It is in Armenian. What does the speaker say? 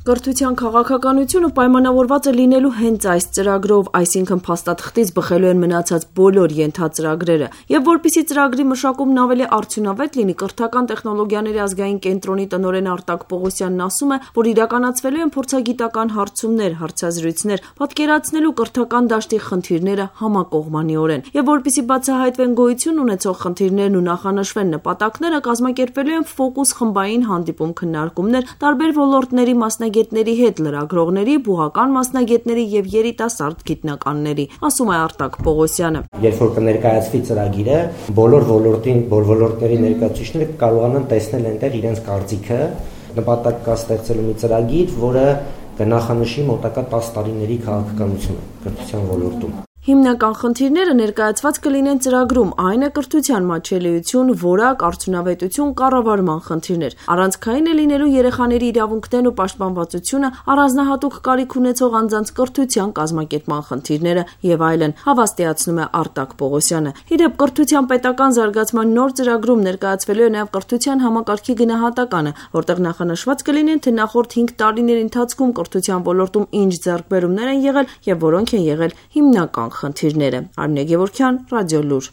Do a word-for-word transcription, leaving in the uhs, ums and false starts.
Կրթության քաղաքականությունը պայմանավորված է լինելու հենց այս ծրագրով, այսինքն փաստաթղթից բխելու են մնացած բոլոր ենթածրագրերը, եւ որպեսզի ծրագրի մշակումն ավելի արդյունավետ լինի, կրթական տեխնոլոգիաների ազգային կենտրոնի տնօրեն Արտակ Պողոսյանն ասում է, որ իրականացվելու են փորձագիտական հարցումներ, հարցազրույցներ, պատկերացնելու կրթական դաշտի խնդիրները համակողմանիորեն, եւ որպեսզի բացահայտվեն գոյություն ունեցող խնդիրներն ու նախանշվեն նպատակները, կազմակերպվելու են ֆոկուս խմբային հանդիպում քննարկումներ տարբեր ոլորտների մասնագետների հետ, լրագրողների, բուհական մասնագետների եւ երիտասարդ գիտնականների, ասում է Արտակ Պողոսյանը։ Երբ որ կներկայացվի ծրագիրը, բոլոր ոլորտին, բոլոր ոլորտների ներկայացուցիչները կարողանան տեսնել այնտեղ իրենց կարծիքը, նպատակ կա ստեղծելու մի ծրագիր, որը կնախանշի մոտակա տասը տարիների քաղաքականությունը կրթության ոլորտում։ Հիմնական խնդիրները ներկայացված կլինեն ծրագրում, այն է կրթության մատչելիություն, որակ, արդյունավետություն, կառավարման խնդիրներ, առանցքային է լինելու երեխաների իրավունքներն ու պաշտպանվածությունը, առանձնահատուկ կարիք ունեցող անձանց կրթության կազմակերպման խնդիրները եւ այլն, հավաստիացնում է Արտակ Պողոսյանը։ Իդեպ կրթության պետական զարգացման նոր ծրագրում ներկայացվելու է նաեւ կրթության համակարգի գնահատականը, որտեղ նախանշված կլինեն, թե նախորդ հինգ տարիների ընթացքում կրթության ոլորտում ինչ ձեռքբերումներ են եղել եւ որոնք են եղել հիմնական խնդիրները։ Արմինե Գևորգյան, Ռադիոլուր։